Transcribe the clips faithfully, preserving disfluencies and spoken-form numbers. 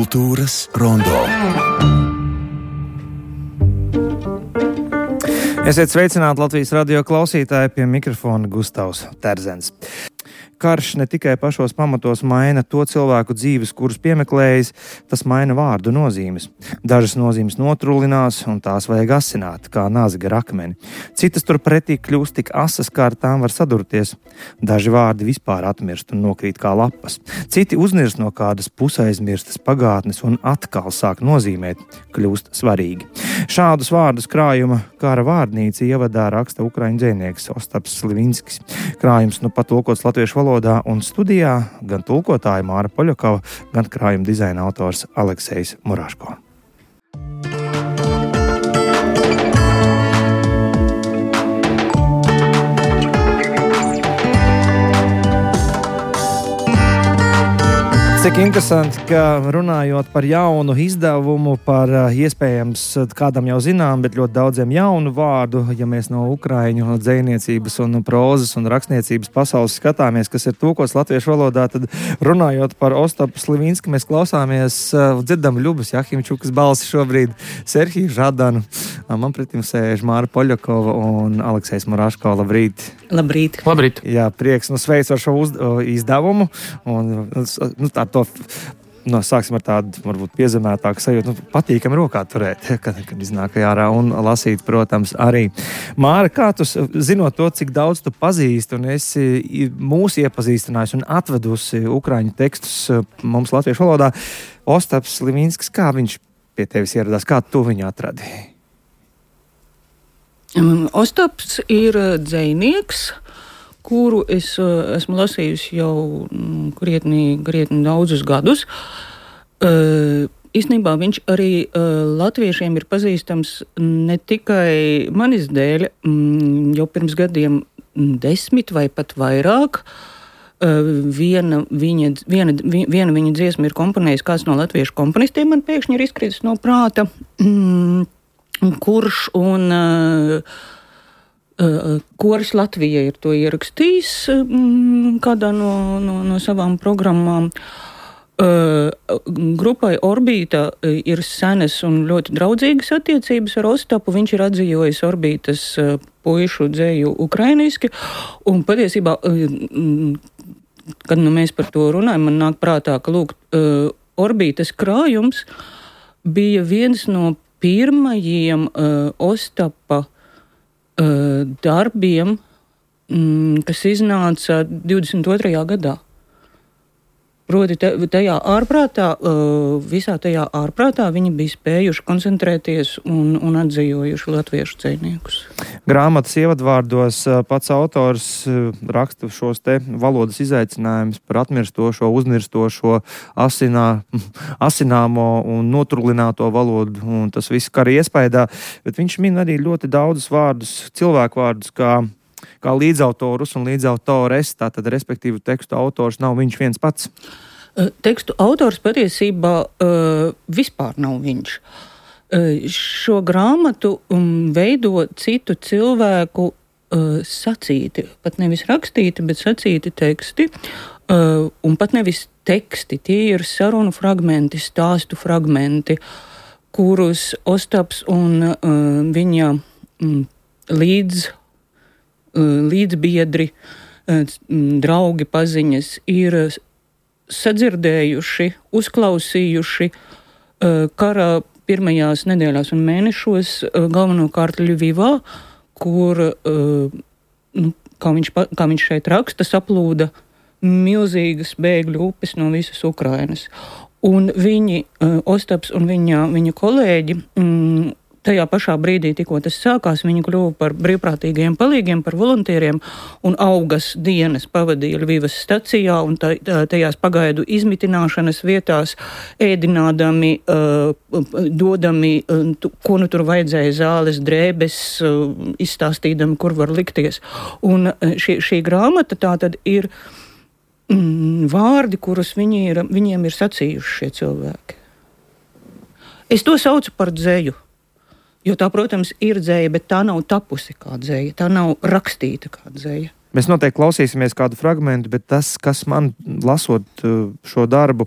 Kultūras rondo. Esiet sveicināti Latvijas radio klausītāji, pie mikrofona Gustavs Terzens. Karš ne tikai pašos pamatos maina to cilvēku dzīves, kurus piemeklējis, tas maina vārdu nozīmes. Dažas nozīmes notrulinās, un tās vajag asināt, kā nazi gar akmeni. Citas turpretī kļūst tik asas, kā ar tām var sadurties. Daži vārdi vispār atmirst un nokrīt kā lapas. Citi uznirst no kādas pusaizmirstas pagātnes un atkal sāk nozīmēt, kļūst svarīgi. Šādus vārdus krājuma kara vārdnīca ievadā raksta ukraiņu dzejnieks Ostaps Slivinskis. Krājums nu pat tulkots latviešu valodā, un studijā gan tulkotāja Māra Poļakova, gan krājuma dizaina autors Aleksejs Muraško. Cik interesanti, ka runājot par jaunu izdevumu, par iespējams kādam jau zinām, bet ļoti daudziem jaunu vārdu, ja mēs no ukraiņu dzejniecības un prozas un rakstniecības pasaules skatāmies, kas ir tulkots latviešu valodā, tad runājot par Ostapu Slivinski, mēs klausāmies, dzirdam Ļubas Jahimčukas balsi šobrīd, Serhiju Žadanu, man pretim sēž Māra Poļakova un Aleksejs Muraško. Labrīt! Labrīt! Labrīt! Jā, prieks, nu sveicu ar šo uz, izdevumu, un nu, tā to, no, sāksim ar tādu, varbūt piezemētāku sajūtu, nu, patīkami rokā turēt, kad, kad iznāk ārā un lasīt, protams, arī. Māra, kā tu, zinot to, cik daudz tu pazīsti un esi mūs iepazīstinājusi un atvedusi ukraiņu tekstus mums latviešu valodā, Ostaps Slivinskis, kā viņš pie tevis ieradās, kā tu viņu atradi? Um, Ostaps ir dzejnieks, kuru es uh, esmu lasījusi jau mm, krietni, krietni daudzus gadus. Uh, īstenībā viņš arī uh, latviešiem ir pazīstams ne tikai manis dēļ, mm, jau pirms gadiem desmit vai pat vairāk. Uh, viena, viņa, viena, viena viņa dziesma ir komponējis kāds no latviešu komponistiem, man pēkšņi ir izkritis no prāta, mm, kurš un... Uh, Uh, Koris Latvija ir to ierakstījis um, kādā no, no, no savām programmām. Uh, grupai Orbīta ir senas un ļoti draudzīgas attiecības ar Ostapu. Viņš ir atzījojis Orbītas uh, puišu dzēju ukrainiski. Un patiesībā, uh, kad nu mēs par to runājam, man nāk prātā, ka lūk, uh, Orbītas krājums bija viens no pirmajiem uh, Ostapa darbiem, kas iznāca divdesmit otrajā gadā. Proti tajā ārprātā, visā tajā ārprātā viņi bija spējuši koncentrēties un, un atzījojuši latviešu dzejniekus. Grāmatas ievadvārdos pats autors raksta šos te valodas izaicinājumus par atmirstošo, uznirstošo, asinā, asināmo un notrulināto valodu, un tas viss kara iespaidā, bet viņš min arī ļoti daudzus vārdus, cilvēku vārdus, kā kā līdzautorus un līdzautores, tātad respektīvi tekstu autors nav viņš viens pats? Tekstu autors patiesībā uh, vispār nav viņš. Uh, šo grāmatu um, veido citu cilvēku uh, sacīti, pat nevis rakstīti, bet sacīti teksti, uh, un pat nevis teksti, tie ir sarunu fragmenti, stāstu fragmenti, kurus Ostaps un uh, viņa um, līdz līdzbiedri, draugi, paziņas ir sadzirdējuši, uzklausījuši kara pirmajās nedēļās un mēnešos, galvenokārt Ļuvivā, kur, nu, kā viņš, kā viņš šeit raksta, saplūda milzīgas bēgļu upes no visas Ukrainas. Un viņi, Ostaps un viņa, viņa kolēģi, mm, tajā pašā brīdī, tikko tas sākās, viņi kļuva par brīvprātīgiem palīgiem, par volontieriem, un augas dienas pavadīja Ļuvivas stacijā un tajās pagaidu izmitināšanas vietās, ēdinādami, dodami, ko nu tur vajadzēja, zāles, drēbes, izstāstīdami, kur var likties. Un šī, šī grāmata tā tad ir mm, vārdi, kurus viņi ir, viņiem ir sacījuši šie cilvēki. Es to saucu par dzēju. Jo tā, protams, ir dzēja, bet tā nav tapusi kā dzēja, tā nav rakstīta kā dzēja. Mēs noteikti klausīsimies kādu fragmentu, bet tas, kas man lasot šo darbu,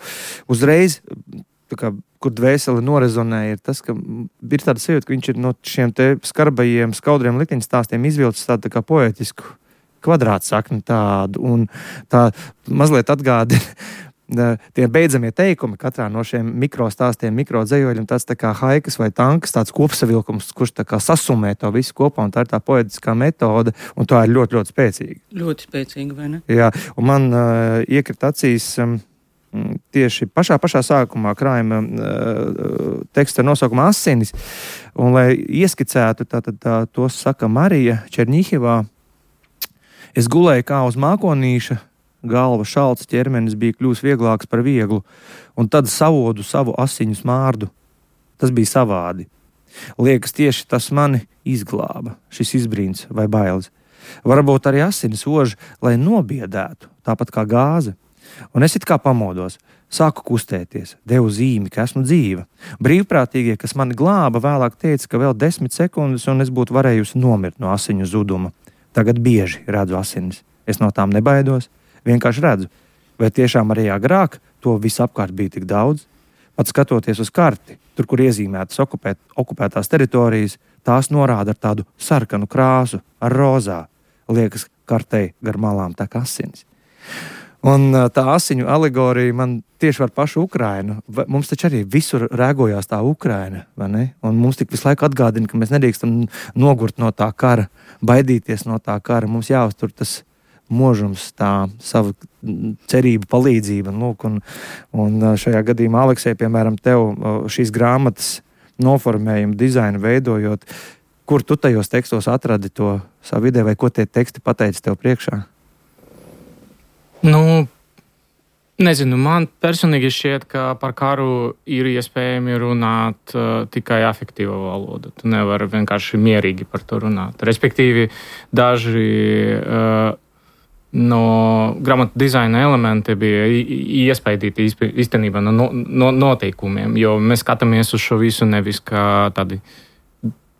uzreiz kā, kur dvēseli norezonē, ir tas, ka ir tāda sajūta, ka viņš ir no šiem te skarbajiem, skaudriem likteņu stāstiem izvilcis tādu tā kā poetisku kvadrātsakni tādu, un tā mazliet atgādina tie beidzamie teikumi katrā no šiem mikrostāstiem, mikrodzējoļiem, tāds tā kā haikas vai tankas, tāds kopsavilkums, kurš tā kā sasumē to visu kopā, un tā ir tā poetiskā metode, un tā ir ļoti, ļoti spēcīga. Ļoti spēcīga, vai ne? Jā, un man uh, iekrita acīs um, tieši pašā, pašā sākumā krājuma uh, teksta nosaukuma Asinis, un lai ieskicētu, tā, tā, tā, to saka Marija Černihivā, es gulēju kā uz mākonīša, galva šalts, ķermenis bija kļūs vieglāks par vieglu, un tad savodu savu asiņu smārdu. Tas bija savādi. Liekas, tieši tas mani izglāba, šis izbrīns vai bailes. Varbūt arī asinis ož, lai nobiedētu, tāpat kā gāze. Un es it kā pamodos, sāku kustēties, devu zīmi, ka esmu dzīva. Brīvprātīgie, kas mani glāba, vēlāk teica, ka vēl desmit sekundes, un es būtu varējusi nomirt no asiņu zuduma. Tagad bieži redzu asinis. Es no tām nebaidos. Vienkārši redzu, vai tiešām arī agrāk to visu apkārt bija tik daudz. Pat skatoties uz karti, tur, kur iezīmētas okupēt, okupētās teritorijas, tās norāda ar tādu sarkanu krāsu, ar rozā. Liekas, kartei gar malām tā kā asinis. Un tā asiņu alegorija man tieši var pašu Ukrainu. Mums taču arī visur rēgojās tā Ukraina, vai ne? Un mums tik visu laiku atgādina, ka mēs nedrīkstam nogurt no tā kara, baidīties no tā kara. Mums jāuztur tas mūžums, tā savu cerību palīdzība. Lūk, un, un šajā gadījumā, Aleksej, piemēram, tev šīs grāmatas noformējumu, dizainu veidojot, kur tu tajos tekstos atradi to savu ideju, vai ko tie teksti pateica tev priekšā? Nu, nezinu, man personīgi šķiet, ka par karu ir iespējami runāt uh, tikai afektīva valoda. Tu nevari vienkārši mierīgi par to runāt. Respektīvi, daži uh, no grāmatu dizaina elementi bija iespaidīti īstenībā no, no noteikumiem, jo mēs skatāmies uz šo visu nevis kā tādi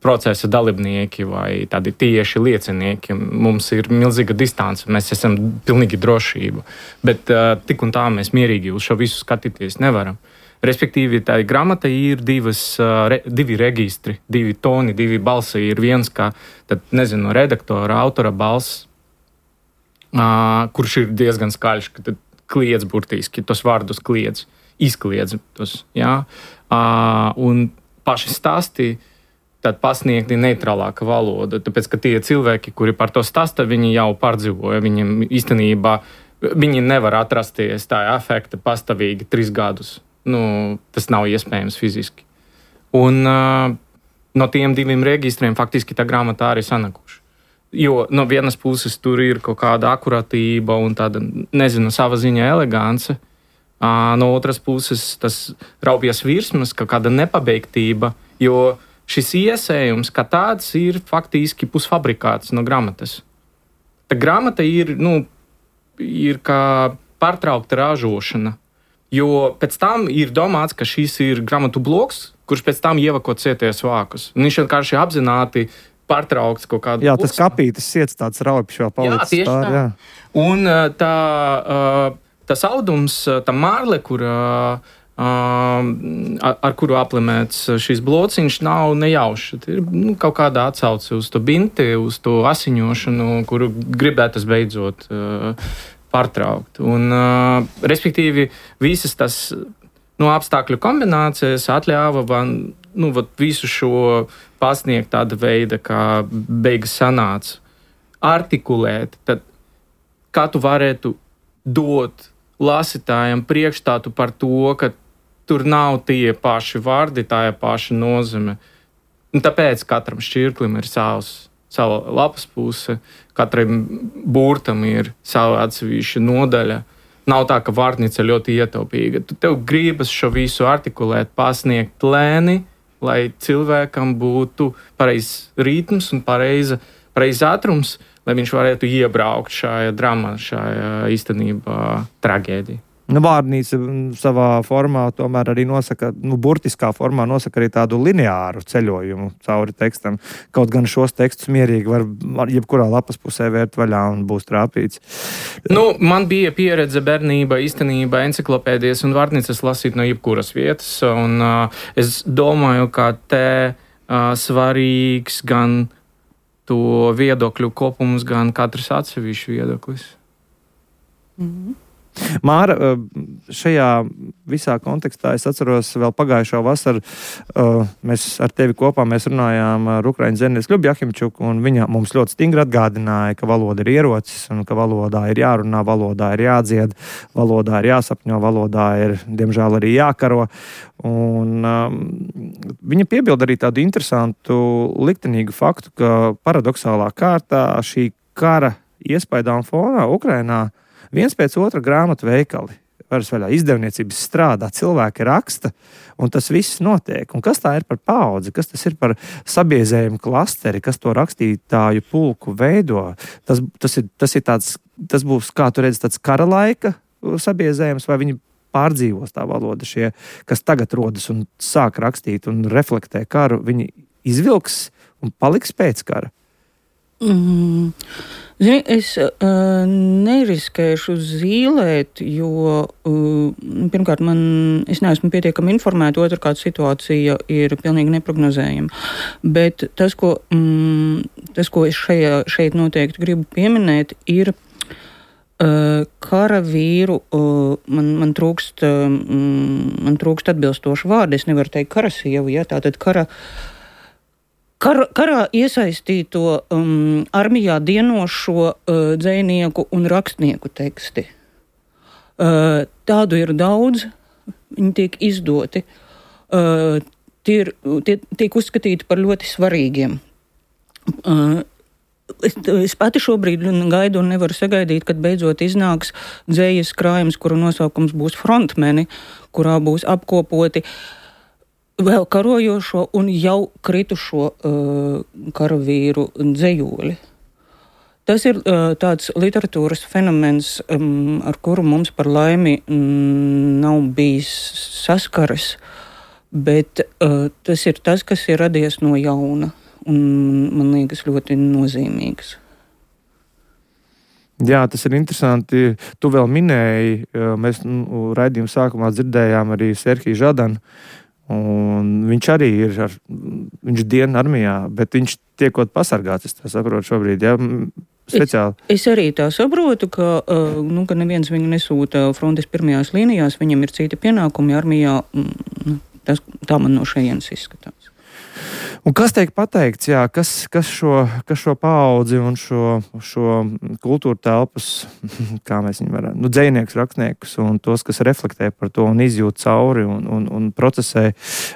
procesa dalībnieki vai tādi tieši liecinieki. Mums ir milzīga distance, mēs esam pilnīgi drošība, bet uh, tik un tā mēs mierīgi uz šo visu skatīties nevaram. Respektīvi, tā grāmata ir divas, uh, re, divi registri, divi toni, divi balsi. Ir viens, kā, tad, nezinu, redaktora, autora balss, Uh, kurš ir diezgan skaļš, ka tad kliedz burtiski, tos vārdus kliedz, izkliedz tos, jā. Uh, un paši stāsti tad pasniegti neitrālāka valoda, tāpēc, ka tie cilvēki, kuri par to stāsta, viņi jau pārdzīvoja, viņiem īstenībā, viņi nevar atrasties tā afekta pastāvīgi trīs gadus. Nu, tas nav iespējams fiziski. Un uh, no tiem diviem reģistriem faktiski tā grāmata arī sanakuši. Jo no vienas puses tur ir kaut kāda akuratība un tāda, nezinu, sava ziņa elegance. No otras puses tas raupjas virsmas, kaut kāda nepabeigtība, jo šis iesējums kā tāds ir faktiski pusfabrikāts no grāmatas. Tā grāmata ir, nu, ir kā pārtraukta ražošana, jo pēc tam ir domāts, ka šis ir grāmatu bloks, kurš pēc tam ievako cieties vākus. Un viņš vienkārši apzināti pārtraukts kaut kādu... Jā, tas kapītis siets tāds raupjš vēl palicis. Jā, tieši tā. tā. Un tā, tas audums, tā mārle, kur, ar kuru aplimēts šis blociņš, nav nejauši. Ir nu, kaut kāda atsauce uz to binti, uz to asiņošanu, kuru gribētas beidzot pārtraukt. Un, respektīvi, visas tas nu, apstākļu kombinācijas atļāva man nu, visu šo pasniegt tāda veida, kā beigas sanāca, artikulēt, tad kā tu varētu dot lasītājiem priekšstātu par to, ka tur nav tie paši vārdi, tā ir paša nozīme. Un tāpēc katram šķirklim ir savs, sava lapas puse, katram burtam ir sava atsevišķa nodaļa. Nav tā, ka vārtnīca ļoti ietaupīga. Tu tev gribas šo visu artikulēt, pasniegt lēni, lai cilvēkam būtu pareizs ritms un pareiza, pareiz ātrums, lai viņš varētu iebraukt šajā dramā, šajā īstenībā tragēdijā. Nu, vārnīca savā formā tomēr arī nosaka, nu, burtiskā formā nosaka arī tādu lineāru ceļojumu cauri tekstam. Kaut gan šos tekstus mierīgi var jebkurā lapas pusē vērt vaļā un būs trāpīts. Nu, man bija pieredze bērnība, īstenībā enciklopēdijas un vārnīcas lasīt no jebkuras vietas, un uh, es domāju, ka te uh, svarīgs gan to viedokļu kopums, gan katrs atsevišķu viedoklis. Mm-hmm. Māra, šajā visā kontekstā es atceros vēl pagājušo vasaru, mēs ar tevi kopā mēs runājām ar Ukraiņu zemnieku Ļubu Jahimčuku, un viņa mums ļoti stingri atgādināja, ka valoda ir ierocis, un ka valodā ir jārunā, valodā ir jādzied, valodā ir jāsapņo, valodā ir, diemžēl, arī jākaro. Un um, viņa piebilda arī tādu interesantu liktenīgu faktu, ka paradoxālā kārtā šī kara iespaidā un fonā Ukrainā viens pēc otra grāmatu veikali, varas vaļā izdevniecības strādā, cilvēki raksta, un tas viss notiek. Un kas tā ir par paudzi, kas tas ir par sabiezējumu klasteri, kas to rakstītāju pulku veido? Tas, tas, ir, tas, ir tāds, tas būs, kā tu redzi, tāds kara laika sabiezējums, vai viņi pārdzīvos tā valoda šie, kas tagad rodas un sāk rakstīt un reflektē karu, viņi izvilks un paliks pēc kara? Mm. Zini, es uh, neriskēšu zīlēt, jo uh, pirmkārt, man, es neesmu pietiekami informēta, otrkārt situācija ir pilnīgi neprognozējama. Bet tas, ko, mm, tas, ko es šajā, šeit noteikti gribu pieminēt, ir uh, karavīru, uh, man, man, trūkst, uh, man trūkst atbilstošu vārdu, es nevaru teikt karasievu, ja, tātad kara Kar, karā iesaistīto um, armijā dienošo uh, dzejnieku un rakstnieku teksti. Uh, tādu ir daudz, viņi tiek izdoti. Uh, tie, ir, tie tiek uzskatīti par ļoti svarīgiem. Uh, es, es pati šobrīd gaidu un nevaru sagaidīt, kad beidzot iznāks dzejas krājums, kuru nosaukums būs Frontmeni, kurā būs apkopoti vēl karojošo un jau kritušo uh, karavīru dzejoli. Tas ir uh, tāds literatūras fenomens, um, ar kuru mums par laimi mm, nav bijis saskares, bet uh, tas ir tas, kas ir radies no jauna un man liekas ļoti nozīmīgs. Jā, tas ir interesanti. Tu vēl minēji, mēs nu, raidījuma sākumā dzirdējām arī Serhiju Žadanu. Un viņš arī ir, ar, viņš diena armijā, bet viņš tiekot pasargāts, es tā saprotu šobrīd, ja, speciāli. Es, es arī tā saprotu, ka, nu, ka neviens viņu nesūta frontes pirmajās līnijās, viņam ir citi pienākumi armijā, tas, tā man no šejienes izskatās. Un kas tiek pateikts, jā, kas, kas, šo, kas šo paudzi un šo, šo kultūra telpas, kā mēs viņu varam, nu, dzejnieks, rakstniekus un tos, kas reflektē par to un izjūt cauri un, un, un procesē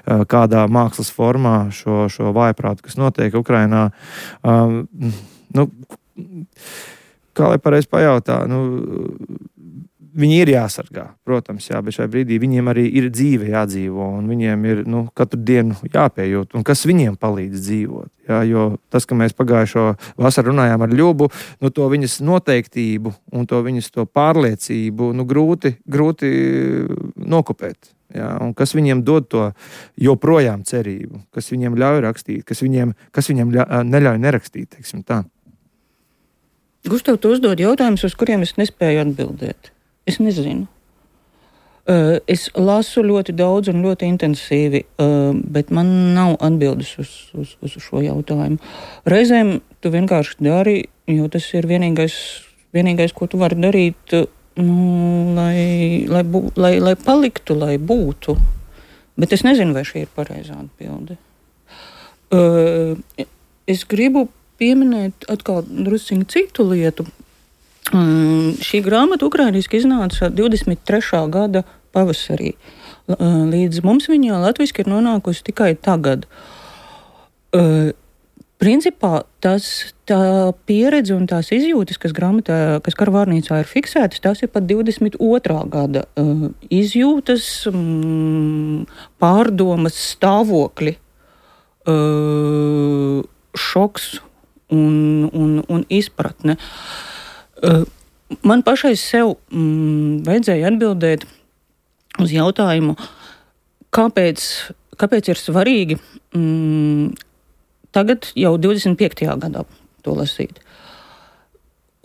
kādā mākslas formā šo, šo vājprātu, kas notiek Ukrainā. Um, nu, kā lai pareizi pajautā, nu, viņi ir jāsargā, protams, jā, bet šajā brīdī viņiem arī ir dzīve jādzīvo, un viņiem ir nu, katru dienu jāpējūt, un kas viņiem palīdz dzīvot. Jā, jo tas, ka mēs pagājušo vasaru runājām ar Ļubu, nu, to viņas noteiktību un to viņas to pārliecību nu, grūti, grūti nokopēt. Jā, un kas viņiem dod to joprojām cerību, kas viņiem ļauj rakstīt, kas viņiem, kas viņiem ļauj, neļauj nerakstīt, teiksim tā. Gustav, tu uzdod jautājumus, uz kuriem es nespēju atbildēt. Es nezinu. Uh, es lasu ļoti daudz un ļoti intensīvi, uh, bet man nav atbildes uz, uz, uz šo jautājumu. Reizēm tu vienkārši dari, jo tas ir vienīgais, vienīgais ko tu vari darīt, nu, lai, lai, bū, lai, lai paliktu, lai būtu. Bet es nezinu, vai šī ir pareizā atbilde. Uh, es gribu pieminēt atkal drusciņu citu lietu. Um, šī grāmata ukrainiski iznāca divdesmit trešā gada pavasarī. Līdz mums viņa latviski ir nonākusi tikai tagad. Uh, principā tas, tā pieredze un tās izjūtas, kas grāmatā, kas karavārnīcā ir fiksētas, tās ir pat divdesmit otrā gada uh, izjūtas, um, pārdomas, stāvokļi, uh, šoks un, un, un izpratne. Uh, man pašai sev mm, vajadzēja atbildēt uz jautājumu, kāpēc, kāpēc ir svarīgi mm, tagad jau divdesmit piektajā gadā to lasīt.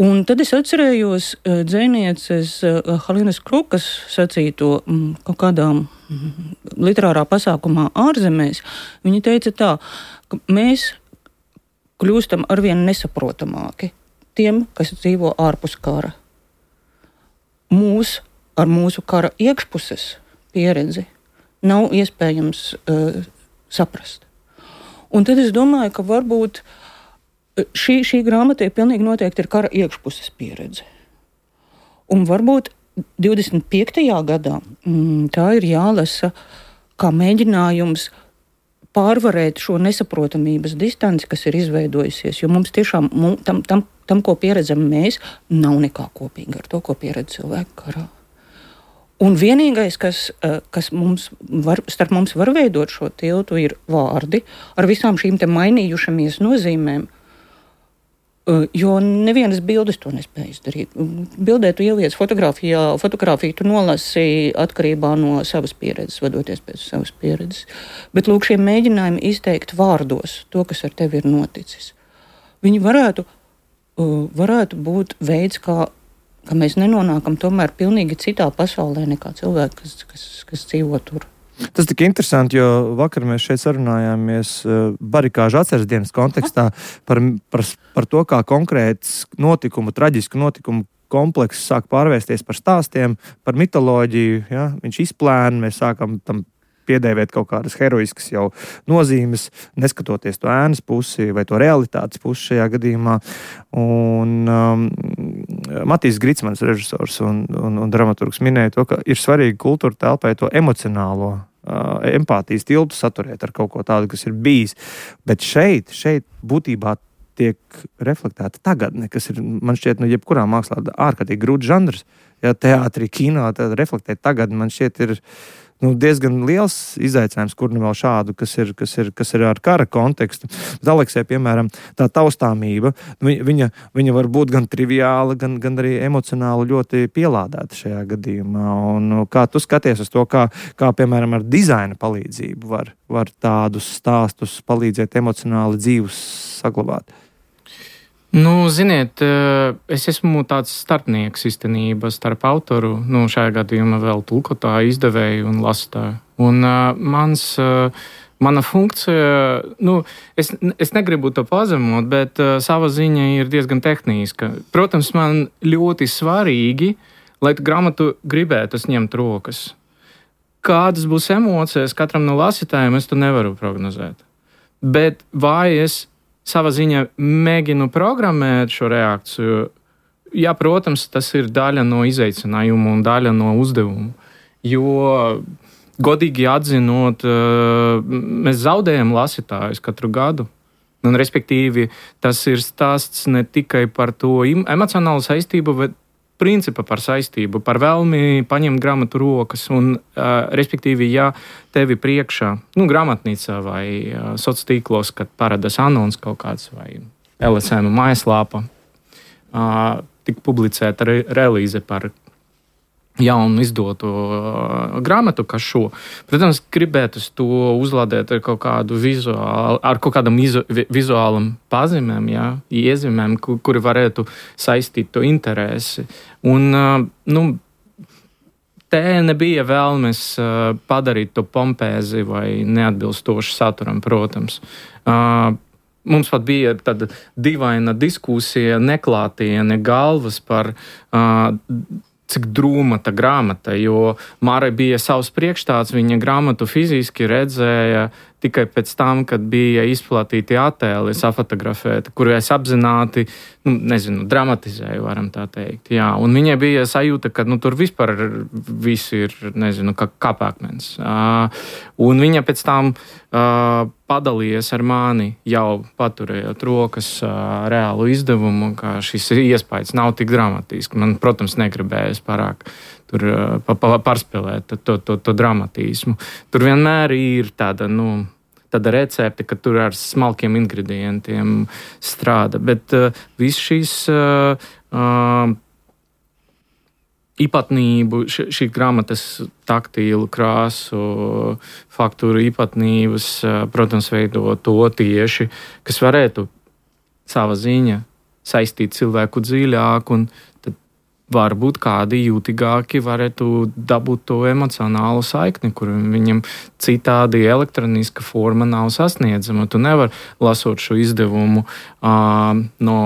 Un tad es atcerējos uh, dzejnieces uh, Halinas Krukas sacīto um, kaut kādā um, literārā pasākumā ārzemēs. Viņa teica tā, ka mēs kļūstam arvien nesaprotamāki tiem, kas dzīvo ārpus kara. Mūs ar mūsu kara iekšpuses pieredzi nav iespējams uh, saprast. Un tad es domāju, ka varbūt Šī, šī grāmata ir pilnīgi noteikti ir kara iekšpuses pieredze. Un varbūt divdesmit piektajā gadā mm, tā ir jālasa kā mēģinājums pārvarēt šo nesaprotamības distanci, kas ir izveidojusies. Jo mums tiešām mums, tam, tam, tam, ko pieredzam mēs, nav nekā kopīga ar to, ko pieredz cilvēku karā. Un vienīgais, kas, kas mums var, starp mums var veidot šo tiltu, ir vārdi ar visām šīm te mainījušamies nozīmēm. Jo nevienas bildes to nespēja izdarīt. Bildē tu ieliec fotografijā, fotografiju tu nolasi atkarībā no savas pieredzes, vadoties pēc savas pieredzes. Bet lūk, šie mēģinājumi izteikt vārdos to, kas ar tevi ir noticis. Viņi varētu, varētu būt veids, kā, kā mēs nenonākam tomēr pilnīgi citā pasaulē nekā cilvēki, kas, kas, kas dzīvo tur. Tas tik interesanti, jo vakar mēs šeit sarunājāmies barikāžu atceres dienas kontekstā par, par, par to, kā konkrēts notikumu, traģisku notikumu komplekss sāk pārvērsties par stāstiem, par mitoloģiju. Ja? Viņš izplēna, mēs sākam tam piedēvēt kaut kādas heroiskas jau nozīmes, neskatoties to ēnas pusi vai to realitātes pusi šajā gadījumā. Un um, Matīs Gricmans, režisors un, un, un dramaturgs, minēja to, ka ir svarīgi kultūra telpai to emocionālo uh, empātijas tiltu saturēt ar kaut ko tādu, kas ir bijis. Bet šeit, šeit būtībā tiek reflektēta tagadne, kas ir, man šķiet, nu, jebkurā mākslā ārkārtīgi grūts žanrs. Ja teātrī, kino, tad reflektēt tagadni, man šķiet, ir nu, diezgan liels izaicinājums, kur nu vēl šādu, kas ir, kas ir, kas ir ar kara kontekstu. Bet Aleksē, piemēram, tā taustāmība, viņa, viņa var būt gan triviāla, gan, gan arī emocionāli ļoti pielādēta šajā gadījumā. Un kā tu skaties uz to, kā, kā piemēram, ar dizaina palīdzību var, var tādus stāstus palīdzēt emocionāli dzīvus saglabāt? Nu, ziniet, es esmu tāds starpnieks īstenībā starp autoru, nu, šajā gadījumā vēl tulkotāju, izdevēju un lasītāju. Un uh, mans, uh, mana funkcija, nu, es, es negribu to pazemot, bet uh, sava ziņa ir diezgan tehniska. Protams, man ļoti svarīgi, lai tu grāmatu gribētu ņemt rokas. Kādas būs emocijas katram no lasītājiem, es to nevaru prognozēt. Bet vai es savā ziņā mēģinu programmēt šo reakciju? Jā, protams, tas ir daļa no izaicinājuma un daļa no uzdevuma. Jo, godīgi atzinot, mēs zaudējam lasītājus katru gadu. Un, respektīvi, tas ir stāsts ne tikai par to emocionālu saistību, bet principa par saistību, par vēlmi paņemt grāmatu rokas. Un, uh, respektīvi, ja tevi priekšā, nu, grāmatnīcā vai uh, sociālos tīklos, kad parādās anons kaut kāds vai L S M mājaslāpa, uh, tik publicēta re relīze par jaunu izdotu uh, grāmatu, kā šo. Protams, gribētu to uzlādēt ar kaut kādu vizuālu, ar kaut kādam izu, vizuālam pazīmēm, jā, iezīmēm, kur, kuri varētu saistīt to interesi. Un, uh, nu, te nebija vēlmes uh, padarīt to pompēzi vai neatbilstoši saturam, protams. Uh, Mums pat bija tāda dīvaina diskusija, neklātiene galvas par uh, cik drūma tā grāmata, jo Mārai bija savs priekšstats, viņa grāmatu fiziski redzēja tikai pēc tam, kad bija izplatīti attēli, safotografēti, kuru es apzināti, nu, nezinu, dramatizēju, varam tā teikt. Jā, un viņai bija sajūta, ka nu, tur vispār viss ir, nezinu, kā kāpākmens. Uh, un viņa pēc tam uh, padalījies ar mani, jau paturējot rokas uh, reālu izdevumu, ka šis iespējas nav tik dramatisks. Man, protams, negribējas pārāk tur pa, pa, pārspēlēt to, to, to dramatismu. Tur vienmēr ir tāda, nu, tāda recepte, ka tur ar smalkiem ingredientiem strādā. Bet uh, viss šīs uh, uh, īpatnību, šī grāmatas taktīlu krāsu, faktūru īpatnības, protams, veido to tieši, kas varētu sava ziņa saistīt cilvēku dziļāk, un tad varbūt kādi jūtīgāki varētu dabūt to emocionālu saikni, kur viņam citādi elektroniska forma nav sasniedzama. Tu nevar lasot šo izdevumu uh, no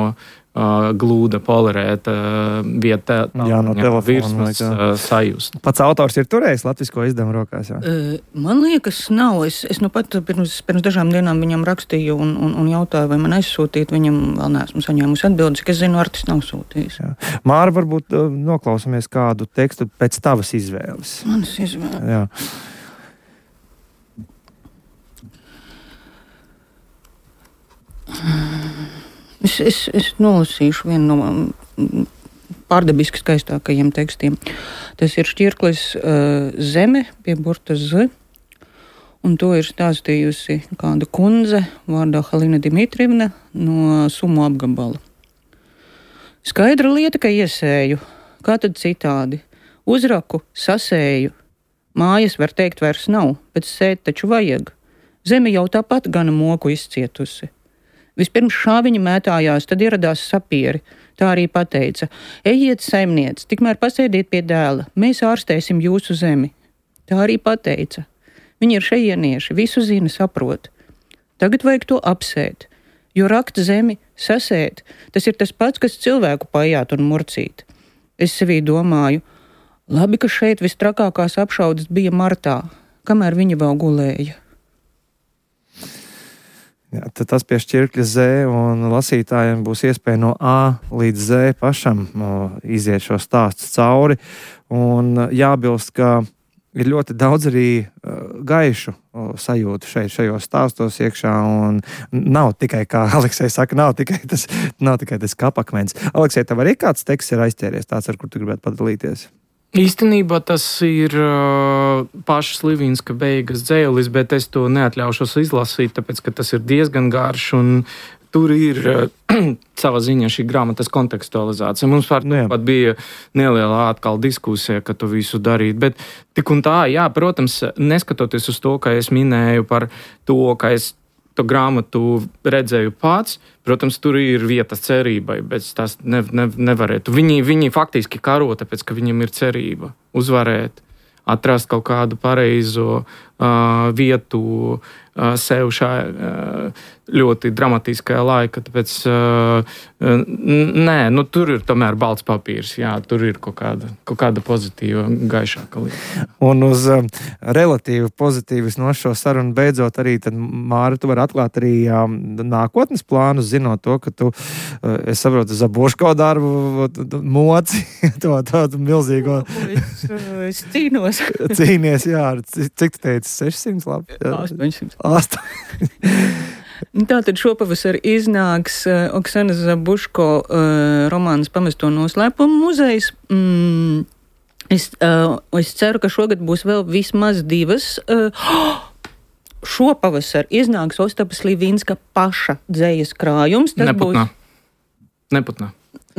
Uh, glūda polerēta uh, vieta, jā, no telefona virsmas uh, sajust. Pats autors ir turējis latvisko izdevumu rokās, jā? Uh, man liekas, nav. Es, es nu pat pirms, pirms dažām dienām viņam rakstīju un, un, un jautāju, vai man aizsūtīt. Viņam vēl neesmu saņēmusi atbildes, ka es zinu, Artis nav sūtījis. Jā. Māra, varbūt uh, noklausamies kādu tekstu pēc tavas izvēles. Manas izvēles. Jā. Es, es, es nolasīšu vienu no pārdabiski skaistākajiem tekstiem. Tas ir šķirklis uh, Zeme pie burta Z, un to ir stāstījusi kāda kundze vārdā Halina Dimitrievna no Sumu apgabala. Skaidra lieta, ka iesēju, kā tad citādi. Uzraku, sasēju. Mājas, var teikt, vairs nav, bet sēt taču vajag. Zeme jau tāpat gana moku izcietusi. Vispirms šāviņi mētājās, tad ieradās sapieri. Tā arī pateica: ejiet, saimniec, tikmēr pasēdiet pie dēla, mēs ārstēsim jūsu zemi. Tā arī pateica. Viņi ir šejienieši, visu zina, saprot. Tagad vajag to apsēt, jo rakt zemi, sasēt, tas ir tas pats, kas cilvēku pajāt un murcīt. Es sevī domāju, labi, ka šeit vistrakākās apšaudas bija martā, kamēr viņa vēl gulēja. Jā, tad tas pie šķirkļa Z, un lasītājiem būs iespēja no A līdz Z pašam no, iziet šo stāstu cauri. Un jābilst, ka ir ļoti daudz arī uh, gaišu uh, sajūtu šeit, šajos stāstos iekšā, un nav tikai, kā Aleksej saka, nav tikai tas, nav tikai tas kapakmens. Aleksej, tev arī kāds teksts ir aizķēries, tāds, ar kur tu gribētu padalīties? Īstenībā tas ir uh, pašas Livinska beigas dzēlis, bet es to neatļaušos izlasīt, tāpēc, ka tas ir diezgan garš, un tur ir uh, sava ziņa šī grāmatas kontekstualizācija. Mums par to pat bija neliela atkal diskusija, ka tu visu darīt, bet tik un tā, jā, protams, neskatoties uz to, ka es minēju par to, ka es to grāmatu redzēju pats, protams, tur ir vieta cerībai, bet tas ne, ne, nevarētu. Viņi, viņi faktiski karo, tāpēc, ka viņam ir cerība uzvarēt, atrast kaut kādu pareizo uh, vietu uh, sev šajā uh, ļoti dramatiskajā laika. Tāpēc, uh, nē, nu, tur ir tomēr balts papīrs, jā, tur ir kaut kāda, kaut kāda pozitīva, gaišāka lieta. Un uz um, relatīvi pozitīvas no šo sarunu beidzot arī, tad, Māra, tu vari atklāt arī um, nākotnes plānus, zinot to, ka tu, uh, es saprotu, Zabuško darbu moci, to tādu milzīgo... Es, es cīnos. Cīnies, jā, cik tu teici, sešsimt labi? astoņsimt. astoņsimt. Tātad šopavasar iznāks uh, Oksanas Zabuško uh, romāns Pamesto noslēpumu muzejs. Mm, es, uh, es ceru, ka šogad būs vēl vismaz divas. Uh, šopavasar iznāks Ostapas Livinska paša dzejas krājums. Tas Neputnā. Būs... Neputnā.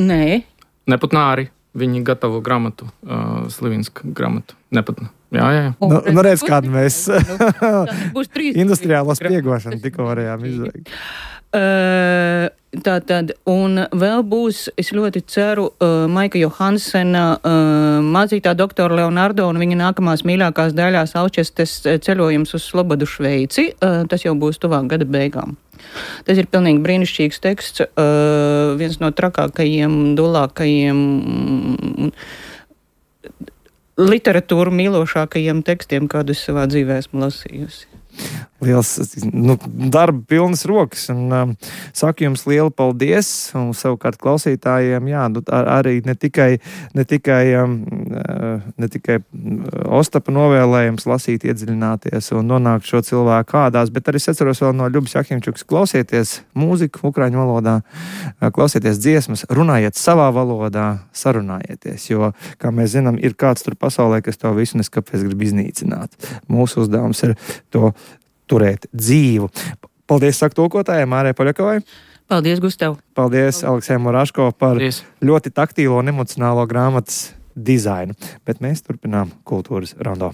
Nē. Neputnā arī. Viņi gatavo grāmatu, uh, Slivinska grāmatu. Nepatnē. Jā, jā, jā. Nu, nu redz, kādu mēs nu, industriālo spiegošanu tikko varējām izveikt. Uh, tā tad, un vēl būs, es ļoti ceru, uh, Maika Johansena uh, mācītā doktora Leonardo un viņa nākamās mīļākās daļās Alčestes ceļojums uz Slobodu Šveici. Uh, tas jau būs tuvāk gada beigām. Tas ir pilnīgi brīnišķīgs teksts, uh, viens no trakākajiem, dulākajiem, literatūru mīlošākajiem tekstiem, kādus savā dzīvē esmu lasījusi. Liels, nu, darba pilnas rokas, un um, saku jums lielu paldies, un savukārt klausītājiem, jā, nu, ar, arī ne tikai, ne tikai, um, ne tikai Ostapa novēlējums lasīt, iedziļināties un nonākt šo cilvēku kādās, bet arī es atceros vēl no Ļubas Jahimčukas, klausieties mūziku ukraiņu valodā, klausieties dziesmas, runājiet savā valodā, sarunājieties, jo, kā mēs zinām, ir kāds tur pasaulē, kas to visu neskapēc grib iznīcināt. Mūsu uzdevums ir to turēt dzīvu. Paldies, saka tulkotājai Mārai Poļakovai. Paldies, Gustav. Paldies, Aleksejam Muraško par Paldies. Ļoti taktīlo un emocionālo grāmatas dizainu. Bet mēs turpinām kultūras rondo.